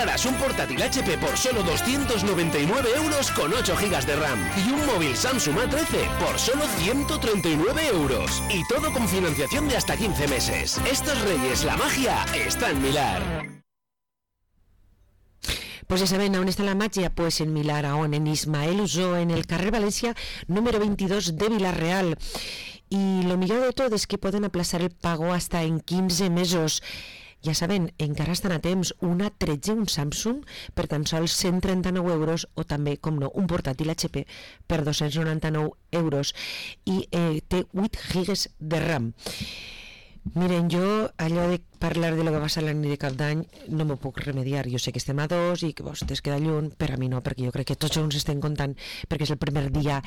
encontrarás un portátil HP por solo 299 euros con 8 GB de RAM y un móvil Samsung A13 por solo 139 euros. Y todo con financiación de hasta 15 meses. Estos Reyes, la magia está en Milar. Pues ya saben, ¿aún está la magia? Pues en Milar, aún en Ismael Usó, en el carrer Valencia número 22 de Vilar-real. Y lo millor de tot és que poden aplaçar el pago hasta en 15 mesos. Ja saben, encara estan a temps un A13, un Samsung, per tan sols 139 euros, o també, com no, un portàtil HP per 299 euros. I té 8 gigas de RAM. Miren, jo allò de parlar de lo que va ser la nit de cap d'any no m'ho puc remediar. Jo sé que estem a 2 i que vostès queda lluny, però a mi no, perquè jo crec que tots junts estem comptant, perquè és el primer dia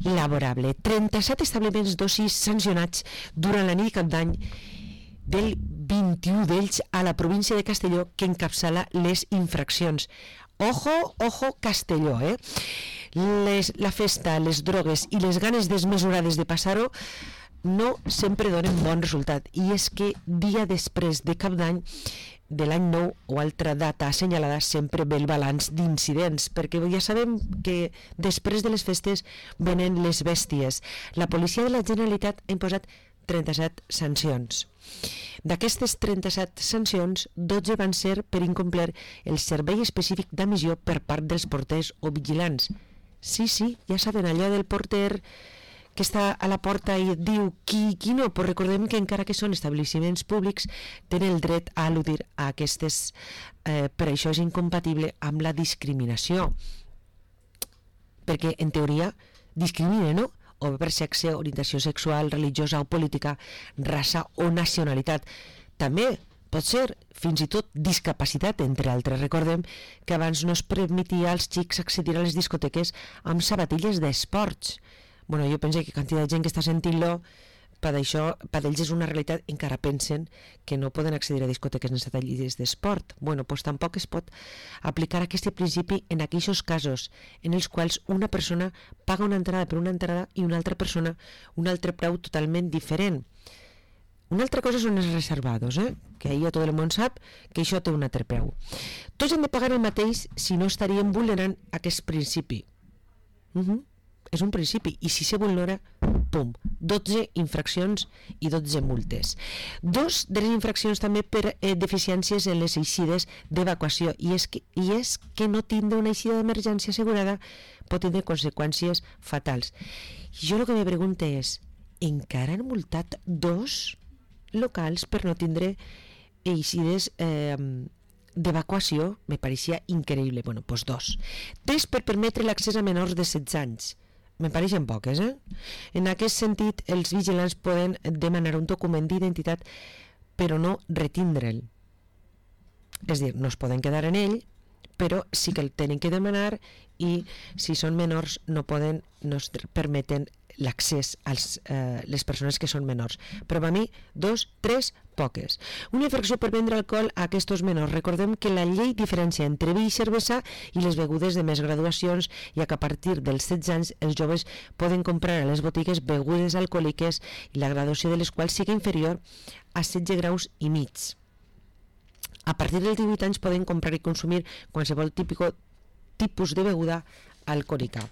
laborable. 37 establiments d'oci sancionats durant la nit de cap d'any, del 21 d'ells a la província de Castelló, que encapçala les infraccions. Ojo, ojo, Castelló, la festa, les drogues i les ganes desmesurades de passar-ho no sempre donen bon resultat, i és que dia després de cap d'any de l'any nou o altra data assenyalada sempre ve el balanç d'incidents, perquè ja sabem que després de les festes venen les bèsties. La policia de la Generalitat ha imposat 37 sancions. D'aquestes 37 sancions, 12 van ser per incomplir el servei específic d'emissió per part dels porters o vigilants. Sí, ja saben, allò del porter que està a la porta i et diu qui no, però recordem que encara que són establiments públics tenen el dret a al·ludir a aquestes, per això és incompatible amb la discriminació, perquè en teoria discrimina, no? O per sexe, orientació sexual, religiosa o política, raça o nacionalitat. També pot ser fins i tot discapacitat, entre altres. Recordem que abans no es permetia als xics accedir a les discoteques amb sabatilles d'esports. Bueno, jo penso que quantitat de gent que està sentint-lo, per ells és una realitat, encara pensen que no poden accedir a discoteques sense sabatilles d'esport. Bueno, doncs tampoc es pot aplicar aquest principi en aquells casos en els quals una persona paga una entrada per una entrada i una altra persona un altre preu totalment diferent. Una altra cosa són els reservados, que ahir ja tot el món sap que això té un altre preu. Tots han de pagar el mateix, si no estaríem vulnerant aquest principi. És un principi, i si se vulnera, pum, 12 infraccions i 12 multes. 2 de les infraccions també per deficiències en les eixides d'evacuació, i és que no tindre una eixida d'emergència assegurada pot tenir conseqüències fatals. Jo el que me pregunto és, encara han multat 2 locals per no tindre eixides d'evacuació? Me pareixia increïble. Bueno, doncs 2. 3 per permetre l'accés a menors de 16 anys. Me pareixen poques, En aquest sentit, els vigilants poden demanar un document d'identitat, però no retindre'l. És a dir, no es poden quedar en ell, però sí que el tenen que demanar, i si són menors no es permeten l'accés a les persones que són menors. Però per mi, 2, 3, poques. Una infracció per vendre alcohol a aquests menors. Recordem que la llei diferencia entre vi i cervesa i les begudes de més graduacions, ja que a partir dels 16 anys els joves poden comprar a les botigues begudes alcohòliques i la graduació de les quals sigui inferior a 16 graus i mig. A partir dels 18 anys poden comprar i consumir qualsevol tipus de beguda alcohòlica.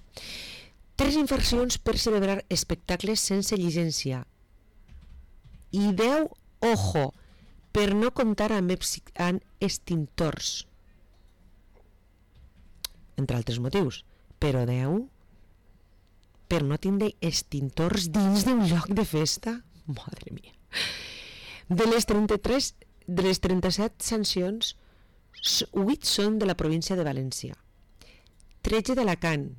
3 infraccions per celebrar espectacles sense llicència. I 10, ojo, per no comptar amb extintors. Entre altres motius. Però 10, per no tindre extintors dins d'un lloc de festa. Madre mia. De les 37 sancions, 8 són de la província de València, 13 d'Alacant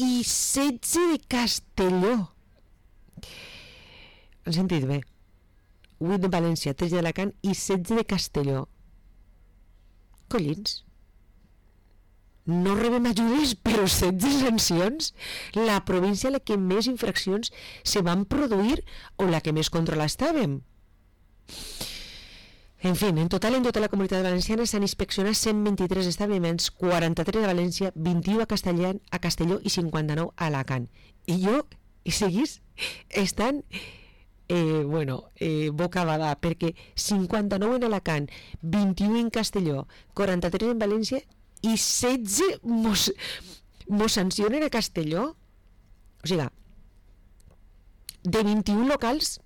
i 16 de Castelló. Han sentit bé? 8 de València, 13 d'Alacant i 16 de Castelló. Collins, no rebem ajudes però 16 sancions? La província a la que més infraccions se van produir o la que més controla estàvem? En fi, en total, en tota la comunitat valenciana s'han inspeccionat 123 establiments, 43 a València, 21 a Castelló i 59 a Alacant. I seguís estan bocabadà, perquè 59 en Alacant, 21 en Castelló, 43 en València i 16 mos sancionen a Castelló. O sigui, de 21 locals,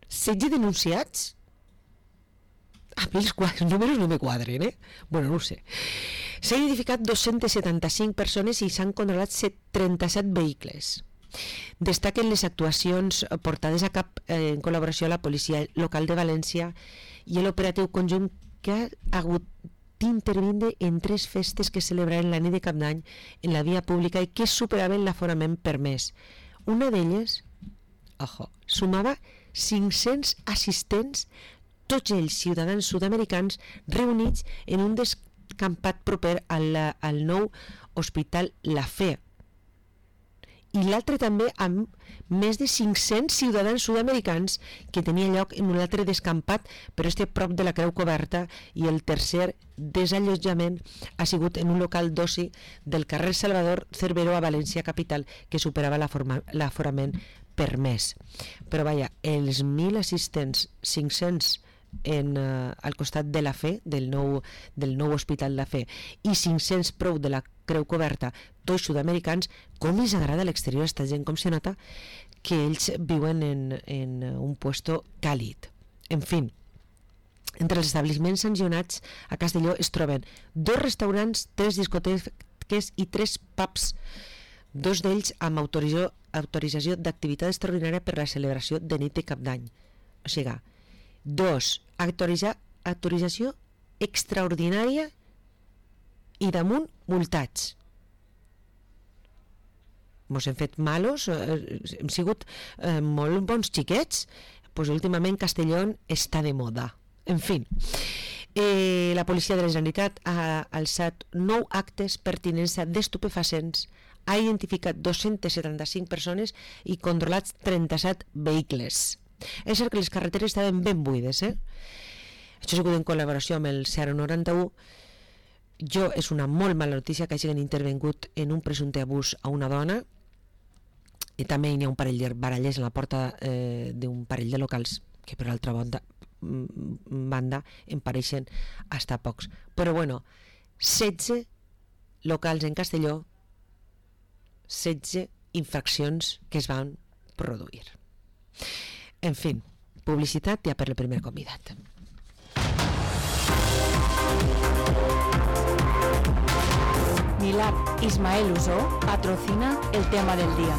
16 denunciats. A mi els números no me quadren, Bueno, no ho sé. S'han identificat 275 persones i s'han controlat 37 vehicles. Destaquen les actuacions portades a cap en col·laboració a la policia local de València i l'operatiu conjunt que ha hagut d'intervindre en 3 festes que celebraren la nit de Cap d'Any en la via pública i que superaven l'aforament permès. Una d'elles, sumava 500 assistents, tots ells ciutadans sud-americans reunits en un descampat proper al nou Hospital La Fe. I l'altre també amb més de 500 ciutadans sud-americans que tenia lloc en un altre descampat, però este prop de la Creu Coberta, i el tercer desallotjament ha sigut en un local d'oci del carrer Salvador Cerveró a València capital, que superava l'aforament permès. Però vaja, els 1.000 assistents, 500 al costat de la Fe, del nou Hospital La Fe, i 500 prou de la Creu Coberta, tots sud-americans, com els agrada a l'exterior a esta gent, com se nota que ells viuen en un puesto càlid. En fi, entre els establiments sancionats a Castelló es troben 2 restaurants, 3 discoteques i 3 pubs, 2 d'ells amb autorització d'activitat extraordinària per la celebració de nit de Cap d'Any. O sigui, 2, autorització extraordinària i damunt multats. Mos hem fet malos, hem sigut molt bons xiquets, doncs últimament Castelló està de moda. En fi, la policia de la Generalitat ha alçat 9 actes pertinents a d'estupefacients, ha identificat 275 persones i controlats 37 vehicles. És cert que les carreteres estaven ben buides, Això ha sigut en col·laboració amb el 091. És una molt mala notícia que hagin intervingut en un presumpte abús a una dona, i també hi ha un parell de baralles a la porta d'un parell de locals que per altra banda en pareixen hasta pocs. Però bueno, 16 locals en Castelló, 16 infraccions que es van produir. En fi, publicitat ja per el primer convidat. Milà Ismael Usó patrocina el tema del día.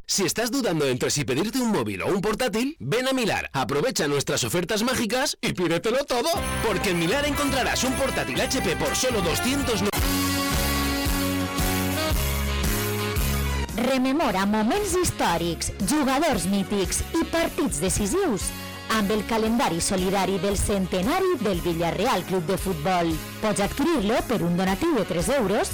Si estás dudando entre si pedirte un móvil o un portátil, ven a Milar, aprovecha nuestras ofertas mágicas y pídetelo todo. Porque en Milar encontrarás un portátil HP por solo 290. Rememora moments històrics, jugadors mítics i partits decisius amb el calendari solidari del centenari del Villarreal Club de Futbol. Pots adquirir-lo per un donatiu de 3 euros